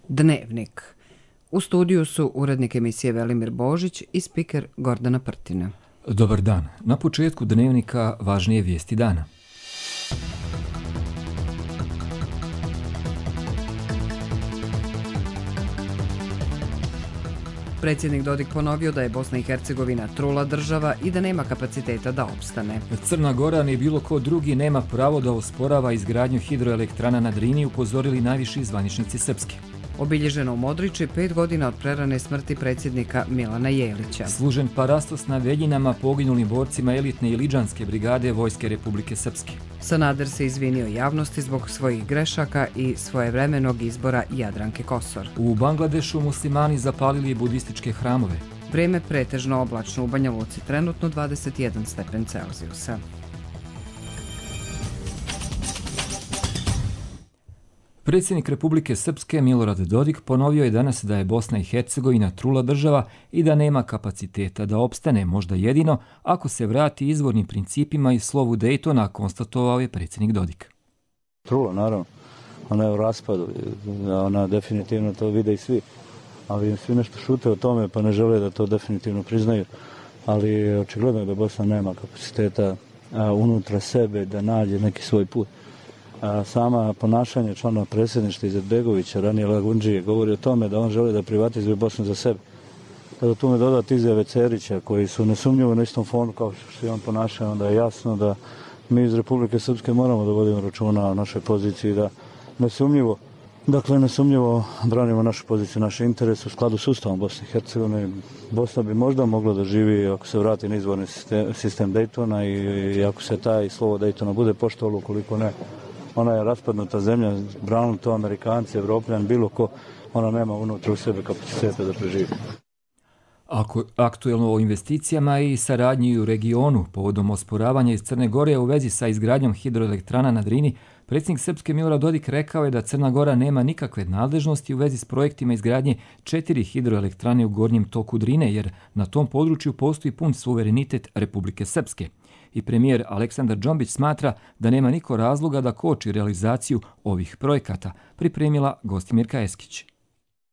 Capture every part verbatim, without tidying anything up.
Dnevnik. U studiju su urednik emisije Velimir Božić i spiker Gordana Prtina. Dobar dan. Na početku Dnevnika važnije vijesti dana. Predsjednik Dodik ponovio da je Bosna i Hercegovina trula država i da nema kapaciteta da opstane. Crna Gora ni bilo ko drugi nema pravo da osporava izgradnju hidroelektrana na Drini, upozorili najviši zvaničnici srpski. Obilježeno u Modriči pet godina od prerane smrti predsjednika Milana Jelića. Služen parastos na Veljinama poginulim borcima elitne Iliđanske brigade Vojske Republike Srpske. Sanader se izvinio javnosti zbog svojih grešaka i svojevremenog izbora Jadranke Kosor. U Bangladešu muslimani zapalili budističke hramove. Vrijeme pretežno oblačno, u Banja Luci trenutno dvadeset jedan stepen Celzijusa. Predsjednik Republike Srpske Milorad Dodik ponovio je danas da je Bosna i Hercegovina trula država i da nema kapaciteta da opstane, možda jedino ako se vrati izvornim principima i slovu Dejtona, konstatovao je predsjednik Dodik. Trula, naravno. Ona je u raspadu. Ona definitivno to vide i svi. Ali svi nešto šute o tome pa ne žele da to definitivno priznaju. Ali očigledno je da Bosna nema kapaciteta unutra sebe da nađe neki svoj put. A sama ponašanje članova predsjedništva Izetbegovića, ranije Lagundžije, govori o tome da on želi da privatizuje Bosnu za sebe. Kada tu me dodati izjave Cerića, koji su nesumnjivo na istom fonu kao što se on ponaša, onda je jasno da mi iz Republike Srpske moramo da vodimo računa o našoj poziciji, da nesumnjivo, dakle nesumnjivo branimo našu poziciju, naše interese u skladu s Ustavom Bosne i Hercegovine. Bosna bi možda mogla da živi ako se vrati na izvorni sistem, sistem Dejtona i, i ako se taj slovo Dejtona bude poštovalo, ukoliko ne. Ona je raspadnuta zemlja, branili to Amerikanci, Evropljan, bilo ko, ona nema unutra u sebe kapaciteta da preživi. Ako aktuelno o investicijama i saradnji u regionu povodom osporavanja iz Crne Gore u vezi sa izgradnjom hidroelektrana na Drini, predsjednik Srpske Milorad Dodik rekao je da Crna Gora nema nikakve nadležnosti u vezi s projektima izgradnje četiri hidroelektrane u gornjem toku Drine, jer na tom području postoji pun suverenitet Republike Srpske. I premijer Aleksandar Džombić smatra da nema niko razloga da koči realizaciju ovih projekata, pripremila Gostimirka Eskić.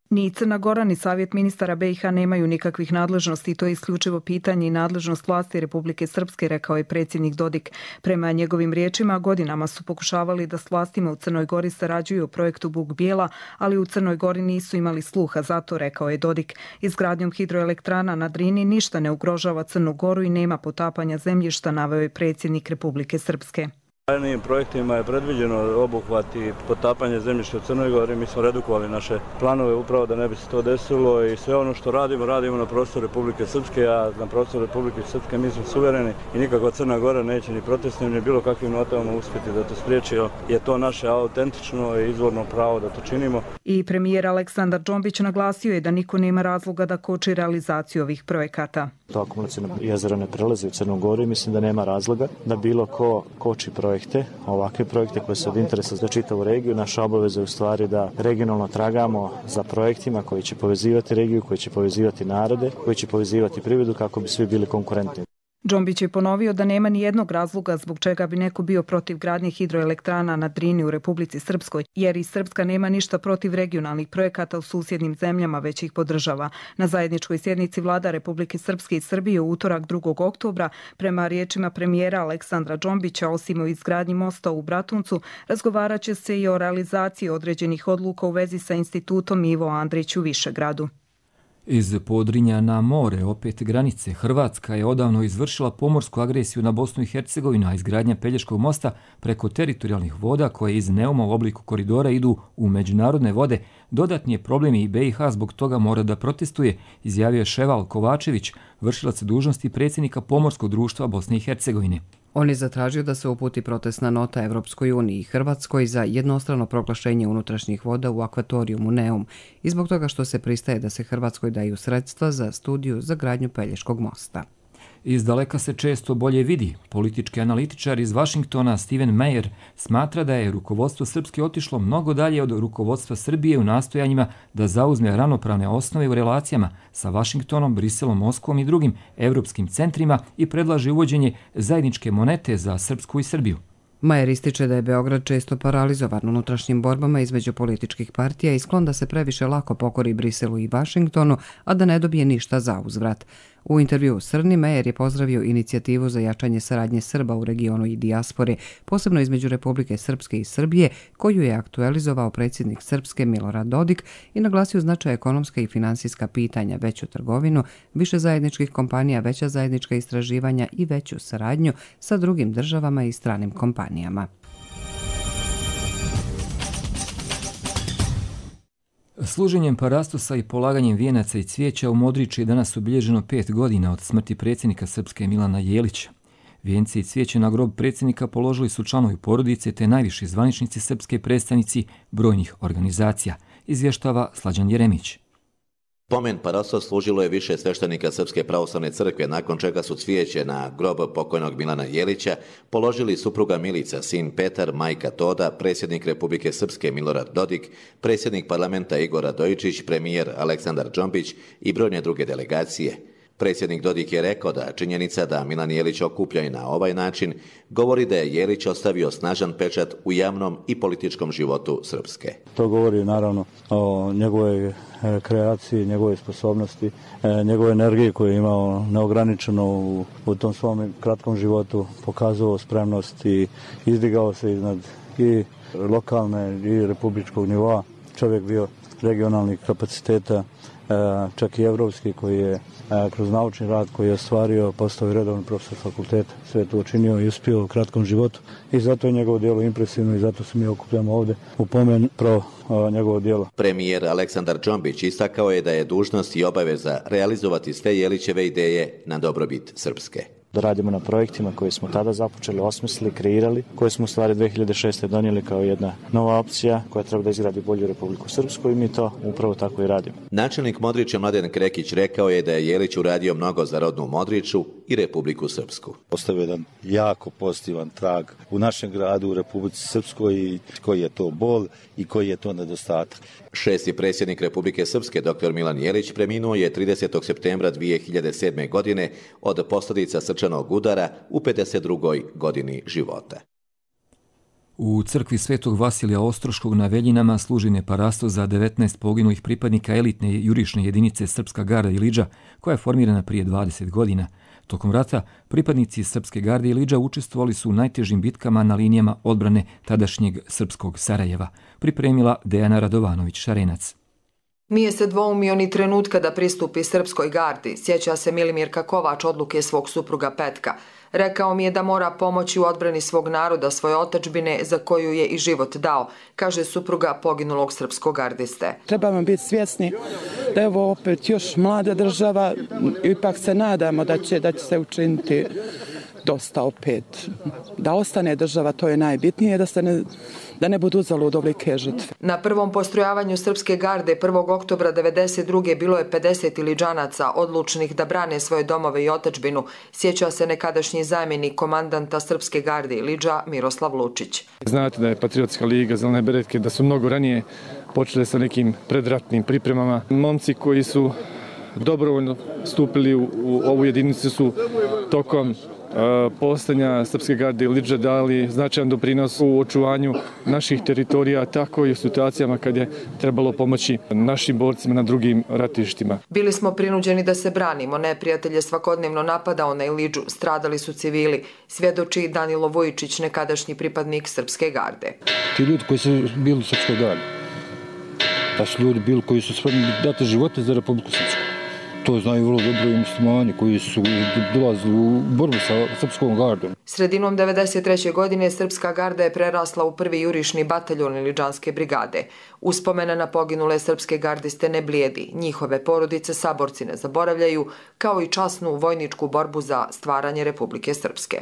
Ni Crna Gora ni Savjet ministara be i ha nemaju nikakvih nadležnosti, to je isključivo pitanje i nadležnost vlasti Republike Srpske, rekao je predsjednik Dodik. Prema njegovim riječima, godinama su pokušavali da s vlastima u Crnoj Gori sarađuju o projektu Buk Bijela, ali u Crnoj Gori nisu imali sluha, zato, rekao je Dodik. Izgradnjom hidroelektrana na Drini ništa ne ugrožava Crnu Goru i nema potapanja zemljišta, naveo je predsjednik Republike Srpske. Narednim projektima je predviđeno obuhvat i potapanje zemljišta u Crnoj Gori. Mi smo redukovali naše planove upravo da ne bi se to desilo i sve ono što radimo, radimo na prostoru Republike Srpske, a na prostoru Republike Srpske mi smo suvereni i nikakva Crna Gora neće ni protestnim ni bilo kakvim notama uspjeti da to spriječi, jer je to naše autentično i izvorno pravo da to činimo. I premijer Aleksandar Džombić naglasio je da niko nema razloga da koči realizaciju ovih projekata. To akumulacijno jezero ne prelazi u Crnu Goru i mislim da nema razloga da bilo ko koči projekte, ovakve projekte koje su od interesa za čitavu regiju. Naša obaveza je u stvari da regionalno tragamo za projektima koji će povezivati regiju, koji će povezivati narode, koji će povezivati privredu kako bi svi bili konkurentni. Džombić je ponovio da nema ni jednog razloga zbog čega bi neko bio protiv gradnje hidroelektrana na Drini u Republici Srpskoj, jer i Srpska nema ništa protiv regionalnih projekata u susjednim zemljama, već ih podržava. Na zajedničkoj sjednici vlada Republike Srpske i Srbije u utorak drugog oktobra, prema riječima premijera Aleksandra Džombića, osim o izgradnji mosta u Bratuncu, razgovarat će se i o realizaciji određenih odluka u vezi sa institutom Ivo Andrić u Višegradu. Iz Podrinja na more, opet granice, Hrvatska je odavno izvršila pomorsku agresiju na Bosnu i Hercegovinu, a izgradnja Pelješkog mosta preko teritorijalnih voda koje iz Neuma u obliku koridora idu u međunarodne vode, dodatni je problem i be i ha zbog toga mora da protestuje, izjavio je Ševal Kovačević, vršilac dužnosti predsjednika Pomorskog društva Bosne i Hercegovine. On je zatražio da se uputi protestna nota Evropskoj uniji i Hrvatskoj za jednostrano proglašenje unutrašnjih voda u akvatorijumu Neum i zbog toga što se pristaje da se Hrvatskoj daju sredstva za studiju za gradnju Pelješkog mosta. Iz daleka se često bolje vidi. Politički analitičar iz Vašingtona Steven Meyer smatra da je rukovodstvo Srpske otišlo mnogo dalje od rukovodstva Srbije u nastojanjima da zauzme ravnopravne osnove u relacijama sa Vašingtonom, Briselom, Moskvom i drugim evropskim centrima i predlaže uvođenje zajedničke monete za Srpsku i Srbiju. Majer ističe da je Beograd često paralizovan unutrašnjim borbama između političkih partija i sklon da se previše lako pokori Briselu i Vašingtonu, a da ne dobije ništa za uzvrat. U intervjuu s Crni, Majer je pozdravio inicijativu za jačanje saradnje Srba u regionu i dijaspore, posebno između Republike Srpske i Srbije, koju je aktualizovao predsjednik Srpske Milorad Dodik i naglasio značaj ekonomska i finansijska pitanja, veću trgovinu, više zajedničkih kompanija, veća zajednička istraživanja i veću saradnju sa drugim državama i stranim kompanijama. Služenjem parastosa i polaganjem vijenaca i cvijeća u Modriču je danas obilježeno pet godina od smrti predsjednika Srpske Milana Jelića. Vijence i cvijeće na grob predsjednika položili su članovi porodice te najviši zvaničnici srpske predstavnici brojnih organizacija, izvještava Slađan Jeremić. Pomen parastos služilo je više sveštenika Srpske pravoslavne crkve, nakon čega su cvijeće na grob pokojnog Milana Jelića položili supruga Milica, sin Petar, majka Toda, predsjednik Republike Srpske Milorad Dodik, predsjednik parlamenta Igor Radojičić, premijer Aleksandar Džombić i brojne druge delegacije. Predsjednik Dodik je rekao da činjenica da Milan Jelić okuplja i na ovaj način govori da je Jelić ostavio snažan pečat u javnom i političkom životu Srpske. To govori naravno o njegovoj kreaciji, njegove sposobnosti, njegove energije koju je imao neograničeno u, u tom svom kratkom životu, pokazao spremnost i izdigao se iznad i lokalne i republičkog nivoa. Čovjek bio regionalnih kapaciteta, čak i evropski, koji je kroz naučni rad koji je ostvario, postao i redovni profesor fakulteta. Sve je to učinio i uspio u kratkom životu i zato je njegovo djelo impresivno i zato se mi okupljamo ovdje u pomen pro njegovo djelo. Premijer Aleksandar Džombić istakao je da je dužnost i obaveza realizovati sve Jelićeve ideje na dobrobit Srpske. Da radimo na projektima koje smo tada započeli, osmislili, kreirali, koje smo u stvari dve hiljade šeste. donijeli kao jedna nova opcija koja treba da izgradi bolju Republiku Srpsku i mi to upravo tako i radimo. Načelnik Modriča Mladen Krekić rekao je da je Jelić uradio mnogo za rodnu Modriču i Republiku Srpsku. Ostavio jedan jako pozitivan trag u našem gradu, u Republici Srpskoj, i koji je to bol i koji je to nedostatak. Šesti predsjednik Republike Srpske, doktor Milan Jelić, preminuo je tridesetog septembra dvije hiljade sedme. godine od posljedica srčanog udara u pedeset drugoj godini života. U crkvi Svetog Vasilija Ostroškog na Veljinama služi parastos za devetnaest poginulih pripadnika elitne jurišne jedinice Srpska garda Ilidža, koja je formirana prije dvadeset godina. Tokom rata pripadnici Srpske garde Ilidža učestvovali su u najtežim bitkama na linijama odbrane tadašnjeg srpskog Sarajeva, pripremila Dejana Radovanović-Šarenac. Nije se dvoumio ni trenutka da pristupi Srpskoj gardi, sjeća se Milimirka Kovač odluke svog supruga Petka. Rekao mi je da mora pomoći u odbrani svog naroda, svoje otadžbine za koju je i život dao, kaže supruga poginulog srpskog gardiste. Trebamo biti svjesni da je ovo opet još mlada država, ipak se nadamo da će, da će se učiniti dosta opet. Da ostane država, to je najbitnije, da se ne, da ne budu uzalud ovolike žrtve. Na prvom postrojavanju Srpske garde prvog oktobra devedeset druge bilo je pedeset Iliđanaca odlučnih da brane svoje domove i otadžbinu, sjeća se nekadašnji zamjenik komandanta Srpske garde Ilidža Miroslav Lučić. Znate da je Patriotska liga Zelene beretke, da su mnogo ranije počele sa nekim predratnim pripremama. Momci koji su dobrovoljno stupili u, u ovu jedinicu su tokom postojanja Srpske garde Ilidža dali značajan doprinos u očuvanju naših teritorija, tako i u situacijama kad je trebalo pomoći našim borcima na drugim ratištima. Bili smo prinuđeni da se branimo, neprijatelj je svakodnevno napadao na Ilidžu, stradali su civili, svjedoči Danilo Vujičić, nekadašnji pripadnik Srpske garde. Ti ljudi koji su bili u Srpskoj gardi, da su ljudi bili koji su spremni dati živote za Republiku Srpsku. To znaju vrlo dobro i muslimani koji su dolazili u borbu sa Srpskom gardom. Sredinom devedeset treće. godine Srpska garda je prerasla u prvi jurišni bataljon Iliđanske brigade. Uspomena na poginule srpske gardiste ne blijedi, njihove porodice saborci ne zaboravljaju, kao i časnu vojničku borbu za stvaranje Republike Srpske.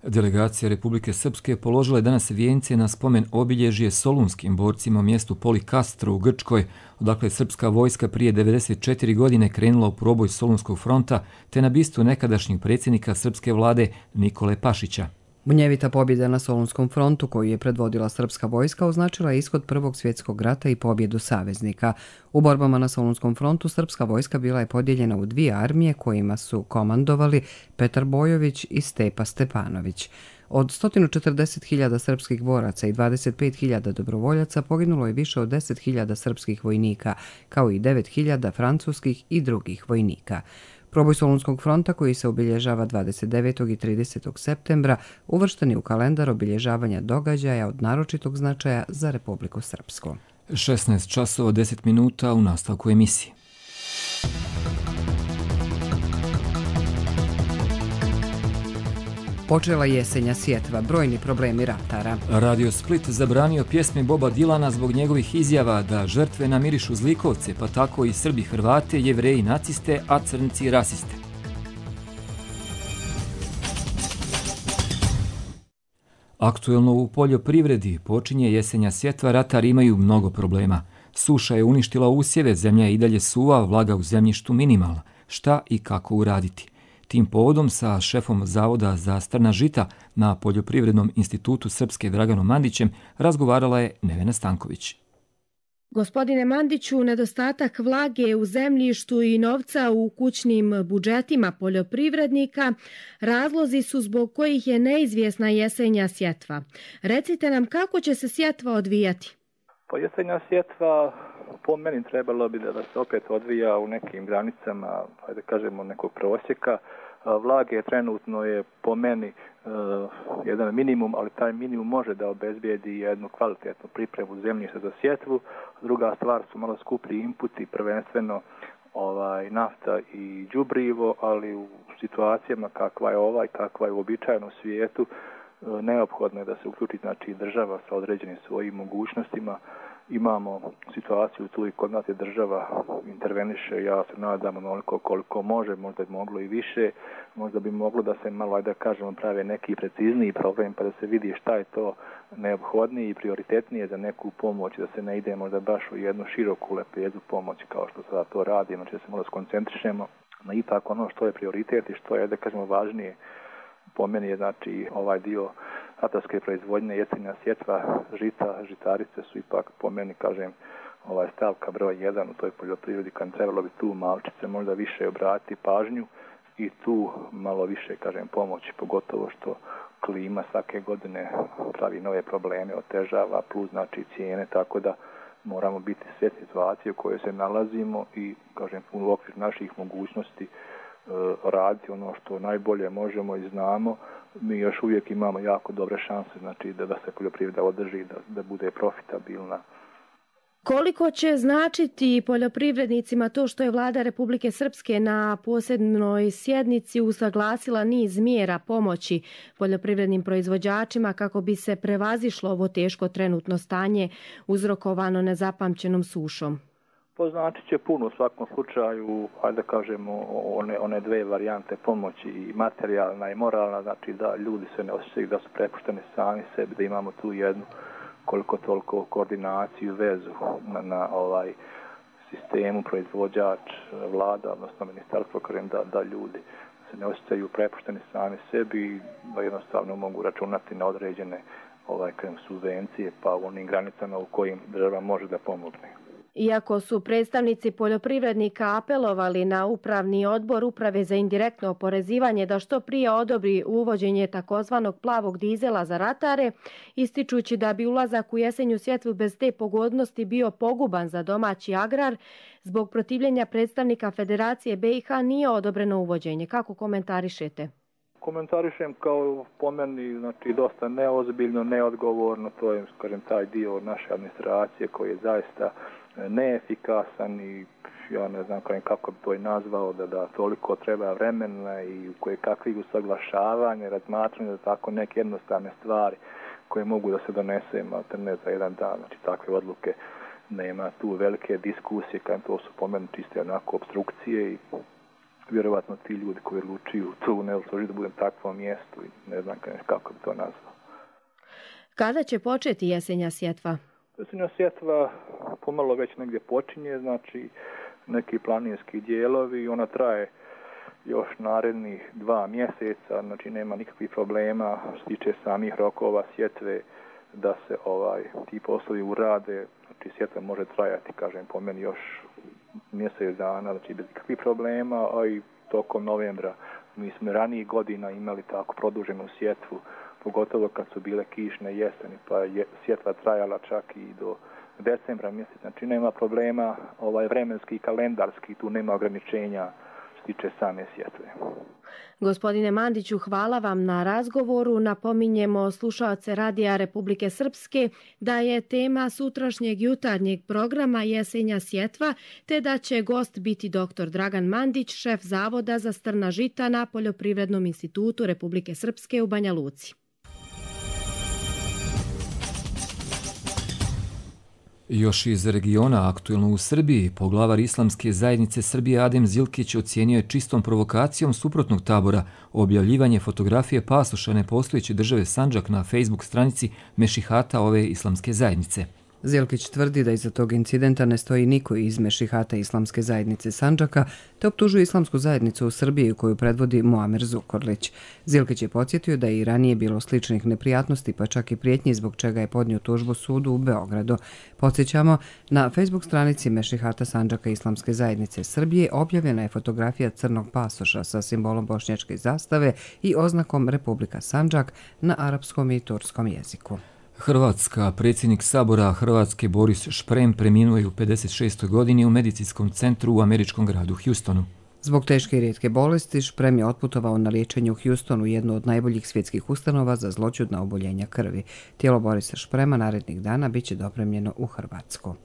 Delegacija Republike Srpske položila je danas vijence na spomen obilježje solunskim borcima u mjestu Polikastro u Grčkoj, odakle je srpska vojska prije devedeset četiri godine krenula u proboj Solunskog fronta, te na bistu nekadašnjeg predsjednika srpske vlade Nikole Pašića. Munjevita pobjeda na Solunskom frontu koju je predvodila srpska vojska označila je ishod Prvog svjetskog rata i pobjedu saveznika. U borbama na Solunskom frontu srpska vojska bila je podijeljena u dvije armije kojima su komandovali Petar Bojović i Stepa Stepanović. Od sto četrdeset hiljada srpskih boraca i dvadeset pet hiljada dobrovoljaca poginulo je više od deset hiljada srpskih vojnika, kao i devet hiljada francuskih i drugih vojnika. Proboj Solunskog fronta, koji se obilježava dvadeset devetog i tridesetog septembra, uvršten je u kalendar obilježavanja događaja od naročitog značaja za Republiku Srpsku. šesnaest časova deset minuta u nastavku emisije. Počela jesenja sjetva, brojni problemi ratara. Radio Split zabranio pjesme Boba Dilana zbog njegovih izjava da žrtve namirišu zlikovce, pa tako i Srbi Hrvate, Jevreji naciste, a Crnci rasiste. Aktuelno u poljoprivredi počinje jesenja sjetva, ratari imaju mnogo problema. Suša je uništila usjeve, zemlja je i dalje suva, vlaga u zemljištu minimalna. Šta i kako uraditi? Tim povodom sa šefom Zavoda za strna žita na Poljoprivrednom institutu Srpske Draganom Mandićem razgovarala je Nevena Stanković. Gospodine Mandiću, nedostatak vlage u zemljištu i novca u kućnim budžetima poljoprivrednika razlozi su zbog kojih je neizvjesna jesenja sjetva. Recite nam kako će se sjetva odvijati? Pa jesenja sjetva po meni trebalo bi da se opet odvija u nekim granicama, ajde kažemo nekog prosjeka. Vlage trenutno je po meni uh, jedan minimum, ali taj minimum može da obezbijedi jednu kvalitetnu pripremu zemljišta za sjetvu. Druga stvar su malo skuplji inputi, prvenstveno ovaj, nafta i đubrivo, ali u situacijama kakva je ova i kakva je uobičajena u svijetu, uh, neophodno je da se uključi znači, država sa određenim svojim mogućnostima. Imamo situaciju tu i kod nas je država interveniše, ja se nadam onoliko koliko može, možda je moglo i više, možda bi moglo da se malo, ajde da kažemo, prave neki precizniji problem pa da se vidi šta je to neophodnije i prioritetnije za neku pomoć, da se ne ide možda baš u jednu široku lepezu pomoći kao što sada to radimo, znači da se možda skoncentrišemo na ipak ono što je prioritet i što je, da kažemo, važnije. Po meni je znači ovaj dio ratarske proizvodnje, jesenja sjetva, žita, žitarice su ipak po meni, kažem, ovaj stavka broj jedan u toj poljoprivredi, kad trebalo bi tu malčice možda više obratiti pažnju i tu malo više, kažem, pomoći, pogotovo što klima svake godine pravi nove probleme, otežava, plus znači cijene, tako da moramo biti svjesni situacije u kojoj se nalazimo i, kažem, u okviru naših mogućnosti raditi ono što najbolje možemo i znamo. Mi još uvijek imamo jako dobre šanse, znači da, da se poljoprivreda održi, da, da bude profitabilna. Koliko će značiti poljoprivrednicima to što je vlada Republike Srpske na posebnoj sjednici usaglasila niz mjera pomoći poljoprivrednim proizvođačima kako bi se prevazišlo ovo teško trenutno stanje uzrokovano nezapamćenom sušom? Poznačit će puno u svakom slučaju, ajde da kažemo, one, one dve varijante pomoći, i materijalna i moralna, znači da ljudi se ne osjećaju da su prepušteni sami sebi, da imamo tu jednu koliko toliko koordinaciju, vezu na, na ovaj sistemu, proizvođač, vlada, odnosno ministarstvo, kažem da, da ljudi se ne osjećaju prepušteni sami sebi i da jednostavno mogu računati na određene ovaj, kažem, subvencije pa u onim granicama u kojim država može da pomogne. Iako su predstavnici poljoprivrednika apelovali na upravni odbor Uprave za indirektno oporezivanje da što prije odobri uvođenje takozvanog plavog dizela za ratare, ističući da bi ulazak u jesenju sjetvu bez te pogodnosti bio poguban za domaći agrar, zbog protivljenja predstavnika Federacije B i H nije odobreno uvođenje. Kako komentarišete? Komentarišem kao po meni, znači, dosta neozbiljno, neodgovorno, to je, kažem, taj dio naše administracije koji je zaista neefikasan i ja ne znam kako bi to i nazvao, da, da toliko treba vremena i koje kakvih usaglašavanja, razmatranja, da tako neke jednostavne stvari koje mogu da se donese ne za jedan dan, znači takve odluke nema tu velike diskusije, kad to su po meni čiste onako obstrukcije i vjerovatno ti ljudi koji odlučuju tu ne odlučuju da budem takvom mjestu i ne znam kako bi to nazvao. Kada će početi jesenja sjetva? Jesenja sjetva pomalo već negdje počinje, znači neki planinski dijelovi, ona traje još narednih dva mjeseca, znači nema nikakvih problema što se tiče samih rokova sjetve da se ovaj ti poslovi urade, znači sjetva može trajati, kažem, po meni još mjesec dana, znači bez nikakvih problema, a i tokom novembra mi smo ranijih godina imali tako produženu sjetvu, pogotovo kad su bile kišne jeseni, pa je sjetva trajala čak i do decembra mjeseca, znači nema problema, ovaj vremenski i kalendarski, tu nema ograničenja što tiče same sjetve. Gospodine Mandiću, hvala vam na razgovoru. Napominjemo slušaoce Radija Republike Srpske da je tema sutrašnjeg jutarnjeg programa Jesenja sjetva, te da će gost biti doktor Dragan Mandić, šef Zavoda za strna žita na Poljoprivrednom institutu Republike Srpske u Banja Luci. Još iz regiona, aktuelno u Srbiji, poglavar Islamske zajednice Srbije Adem Zilkić ocijenio je čistom provokacijom suprotnog tabora objavljivanje fotografije pasoša nepostojeće države Sandžak na Facebook stranici Mešihata ove islamske zajednice. Zilkić tvrdi da iza tog incidenta ne stoji niko iz Mešihata Islamske zajednice Sandžaka, te optužuje islamsku zajednicu u Srbiji koju predvodi Muamer Zukorlić. Zilkić je podsjetio da je i ranije bilo sličnih neprijatnosti, pa čak i prijetnji, zbog čega je podnio tužbu sudu u Beogradu. Podsjećamo, na Facebook stranici Mešihata Sandžaka Islamske zajednice Srbije objavljena je fotografija crnog pasoša sa simbolom bošnjačke zastave i oznakom Republika Sandžak na arapskom i turskom jeziku. Hrvatska, predsjednik Sabora Hrvatske Boris Šprem preminuo je u pedeset šestoj godini u medicinskom centru u američkom gradu Houstonu. Zbog teške i rijetke bolesti, Šprem je otputovao na liječenje u Houstonu, jednu od najboljih svjetskih ustanova za zloćudna oboljenja krvi. Tijelo Borisa Šprema narednih dana bit će dopremljeno u Hrvatsku.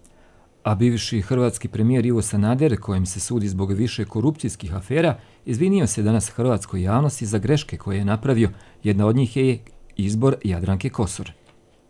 A bivši hrvatski premijer Ivo Sanader, kojem se sudi zbog više korupcijskih afera, izvinio se danas hrvatskoj javnosti za greške koje je napravio. Jedna od njih je izbor Jadranke Kosor.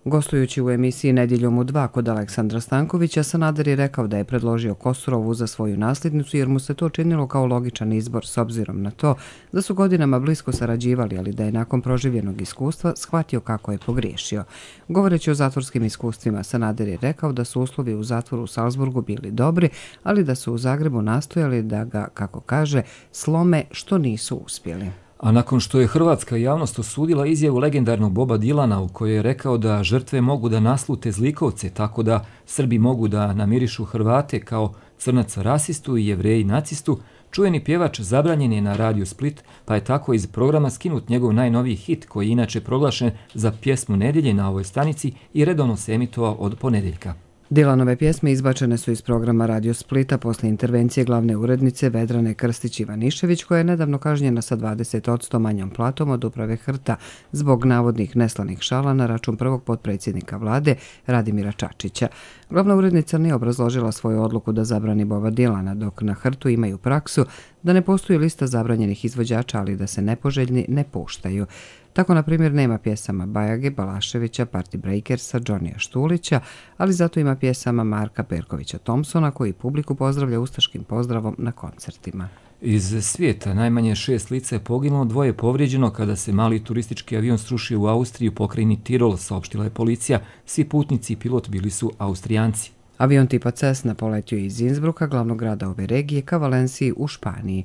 Gostujući u emisiji Nedjeljom u dva kod Aleksandra Stankovića, Sanader je rekao da je predložio Kosorovu za svoju nasljednicu jer mu se to činilo kao logičan izbor s obzirom na to da su godinama blisko sarađivali, ali da je nakon proživljenog iskustva shvatio kako je pogriješio. Govoreći o zatvorskim iskustvima, Sanader je rekao da su uslovi u zatvoru u Salzburgu bili dobri, ali da su u Zagrebu nastojali da ga, kako kaže, slome što nisu uspjeli. A nakon što je hrvatska javnost osudila izjavu legendarnog Boba Dilana u kojoj je rekao da žrtve mogu da naslute zlikovce, tako da Srbi mogu da namirišu Hrvate kao crnaca rasistu i Jevreji nacistu, čuveni pjevač zabranjen je na Radio Split, pa je tako iz programa skinut njegov najnoviji hit, koji je inače proglašen za pjesmu nedjelje na ovoj stanici i redovno se emitovao od ponedjeljka. Dilanove pjesme izbačene su iz programa Radio Splita posle intervencije glavne urednice Vedrane Krstić-Ivanišević, koja je nedavno kažnjena sa dvadeset posto manjom platom od uprave Hrta zbog navodnih neslanih šala na račun prvog potpredsjednika vlade Radimira Čačića. Glavna urednica nije obrazložila svoju odluku da zabrani Boba Dilana, dok na Hrtu imaju praksu da ne postoji lista zabranjenih izvođača, ali da se nepoželjni ne puštaju. Tako, na primjer, nema pjesama Bajage, Balaševića, Party Breakersa, Johnnyja Štulića, ali zato ima pjesama Marka Perkovića Thompsona, koji publiku pozdravlja ustaškim pozdravom na koncertima. Iz svijeta najmanje šest lica je poginulo, dvoje povrijeđeno kada se mali turistički avion srušio u Austriji u pokrajini Tirol, saopštila je policija. Svi putnici i pilot bili su Austrijanci. Avion tipa Cessna poletio je iz Innsbrucka, glavnog grada ove regije, ka Valenciji u Španiji.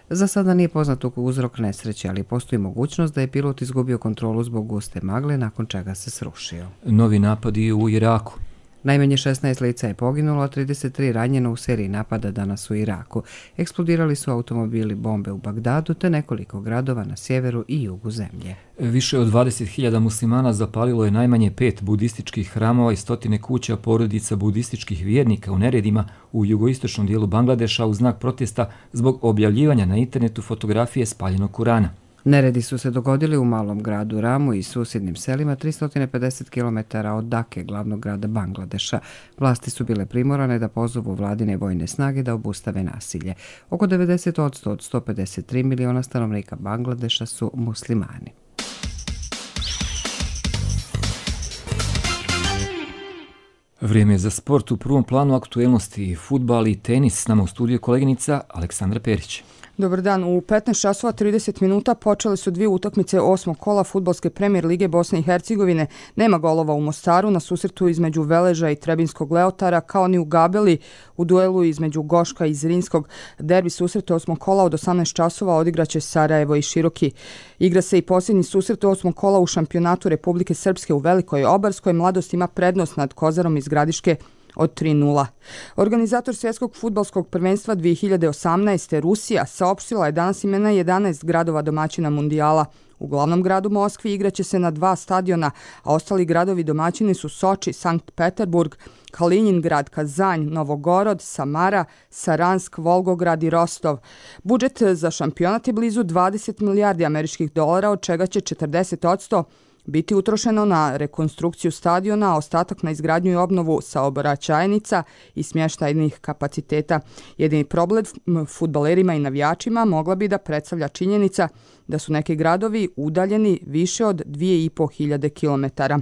Za sada nije poznat uzrok nesreće, ali postoji mogućnost da je pilot izgubio kontrolu zbog guste magle, nakon čega se srušio. Novi napadi u Iraku. Najmanje šesnaest lica je poginulo, a trideset tri ranjeno u seriji napada danas u Iraku. Eksplodirali su automobili, bombe u Bagdadu te nekoliko gradova na sjeveru i jugu zemlje. Više od dvadeset hiljada muslimana zapalilo je najmanje pet budističkih hramova i stotine kuća porodica budističkih vjernika u neredima u jugoistočnom dijelu Bangladeša u znak protesta zbog objavljivanja na internetu fotografije spaljenog Kurana. Neredi su se dogodili u malom gradu Ramu i susjednim selima tristo pedeset kilometara od Dake, glavnog grada Bangladeša. Vlasti su bile primorane da pozovu vladine vojne snage da obustave nasilje. Oko devedeset posto od sto pedeset tri miliona stanovnika Bangladeša su muslimani. Vrijeme je za sport. U prvom planu aktuelnosti fudbal i tenis. S nama u studiju koleginica Aleksandra Perić. Dobar dan. U petnaest časova trideset minuta počele su dvije utakmice osmog kola Fudbalske premijer lige Bosne i Hercegovine. Nema golova u Mostaru na susretu između Veleža i Trebinskog Leotara, kao ni u Gabeli u duelu između Goška i Zrinskog. Derbi susret osmog kola od osamnaest časova odigraće Sarajevo i Široki. Igra se i posljednji susret osmog kola u šampionatu Republike Srpske u Velikoj Obarskoj. Mladost ima prednost nad Kozarom iz Gradiške od tri nula. Organizator svjetskog fudbalskog prvenstva dvije hiljade osamnaeste. Rusija saopštila je danas imena jedanaest gradova domaćina mundijala. U glavnom gradu Moskvi igraće se na dva stadiona, a ostali gradovi domaćini su Soči, Sankt Peterburg, Kaliningrad, Kazanj, Novogorod, Samara, Saransk, Volgograd i Rostov. Budžet za šampionat je blizu dvadeset milijardi američkih dolara, od čega će četrdeset posto biti utrošeno na rekonstrukciju stadiona, a ostatak na izgradnju i obnovu saobraćajnica i smještajnih kapaciteta. Jedini problem fudbalerima i navijačima mogla bi da predstavlja činjenica da su neki gradovi udaljeni više od dvije i po hiljade kilometara.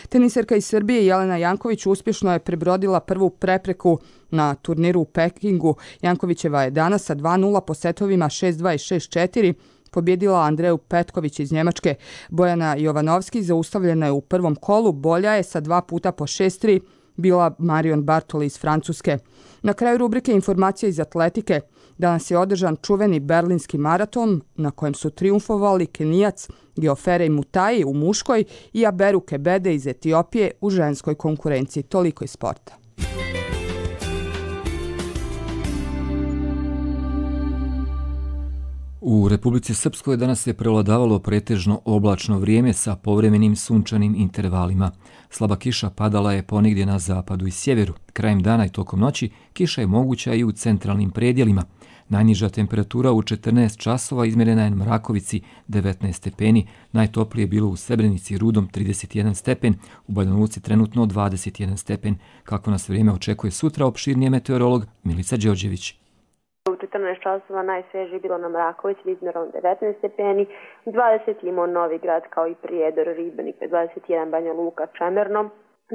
Teniserka iz Srbije Jelena Janković uspješno je prebrodila prvu prepreku na turniru u Pekingu. Jankovićeva je danas sa dva nula po setovima šest dva i šest četiri pobjedila Andreju Petković iz Njemačke. Bojana Jovanovski zaustavljena je u prvom kolu, bolja je sa dva puta po šest tri bila Marion Bartoli iz Francuske. Na kraju rubrike informacija iz atletike. Danas je održan čuveni berlinski maraton na kojem su triumfovali Kenijac Geoferej Mutai u muškoj i Aberu Kebede iz Etiopije u ženskoj konkurenciji. Toliko iz sporta. U Republici Srpskoj danas je prevladavalo pretežno oblačno vrijeme sa povremenim sunčanim intervalima. Slaba kiša padala je ponegdje na zapadu i sjeveru. Krajem dana i tokom noći kiša je moguća i u centralnim predjelima. Najniža temperatura u četrnaest časova izmjerena je na Mrakovici devetnaest stepeni, najtoplije je bilo u Srebrenici i Rudom trideset jedan stepen, u Banja Luci trenutno dvadeset jedan stepen. Kako nas vrijeme očekuje sutra, opširnije meteorolog Milica Đorđević. U četrnaest časova najsvježije bilo na Mrakovici izmjerom devetnaest stepeni, dvadeset imao Novi Grad kao i Prijedor, Ribenik, dvadeset jedan Banja Luka, Čemerno,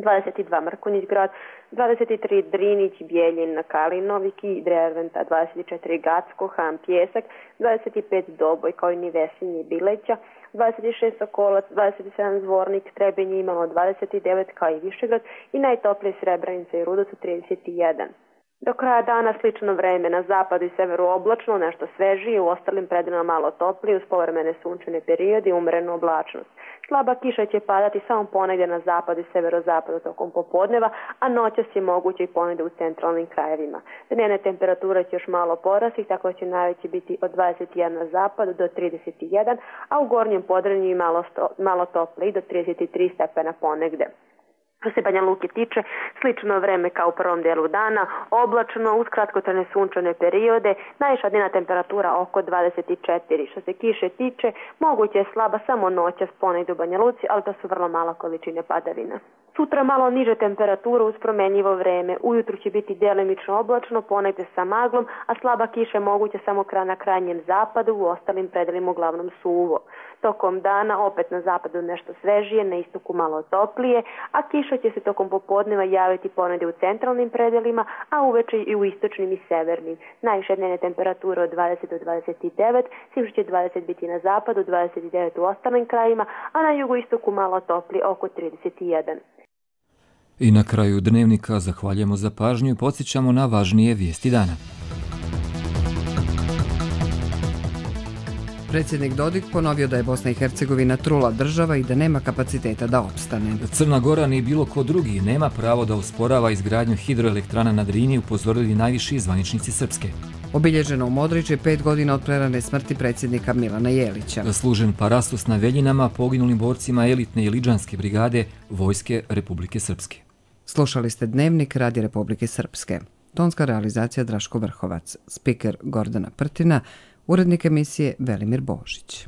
dvadeset dva Mrkonjić Grad, dvadeset tri Drinić, Bijeljin, Kalinoviki, Dreventa, dvadeset četiri Gacko, Ham, Pjesak, dvadeset pet Doboj kao i Nivesinje i Bileća, dvadeset šest Sokolac, dvadeset sedam Zvornik, Trebinje imalo dvadeset devet kao i Višegrad i najtoplije Srebrenica i Rudo su trideset jedan. Do kraja dana slično vreme, na zapadu i severu oblačno, nešto svežije, u ostalim predjelima malo toplije, uz povremene sunčane periode i umjerenu oblačnost. Slaba kiša će padati samo ponegdje na zapadu i severozapadu tokom popodneva, a noćas je moguće i ponegdje u centralnim krajevima. Dnevne temperature će još malo porasti, tako će najveće biti od dvadeset jedan na zapadu do trideset jedan, a u gornjem Podrinju malo, malo toplije do trideset tri stepena ponegdje. Što se Banja Luke tiče, slično vreme kao u prvom dijelu dana, oblačno, uz kratkotrajne sunčane periode, najviša dnevna temperatura oko dvadeset četiri. Što se kiše tiče, moguće je slaba samo noćas ponegdje u Banja Luci, ali to su vrlo mala količine padavina. Sutra malo niže temperature uz promjenjivo vreme. Ujutru će biti djelimično oblačno, ponegdje sa maglom, a slaba kiša je moguća samo na krajnjem zapadu, u ostalim predjelima uglavnom suvo. Tokom dana opet na zapadu nešto svežije, na istoku malo toplije, a kiša će se tokom popodneva javiti ponegdje u centralnim predjelima, a uveče i u istočnim i severnim. Najviše dnevne temperature od dvadeset do dvadeset devet, svim će dvadeset biti na zapadu, dvadeset devet u ostalim krajima, a na jugoistoku malo toplije, oko trideset jedan. I na kraju dnevnika zahvaljujemo za pažnju i podsjećamo na važnije vijesti dana. Predsjednik Dodik ponovio da je Bosna i Hercegovina trula država i da nema kapaciteta da opstane. Crna Gora ni bilo ko drugi nema pravo da usporava izgradnju hidroelektrana na Drini, upozorili najviši zvaničnici Srpske. Obilježeno u Modriću je pet godina od prerane smrti predsjednika Milana Jelića. Služen parastos na Veljinama poginulim borcima elitne i Lidžanske brigade Vojske Republike Srpske. Slušali ste Dnevnik Radija Republike Srpske. Tonska realizacija Draško Vrhovac, spiker Gordana Prtina, urednik emisije Velimir Božić.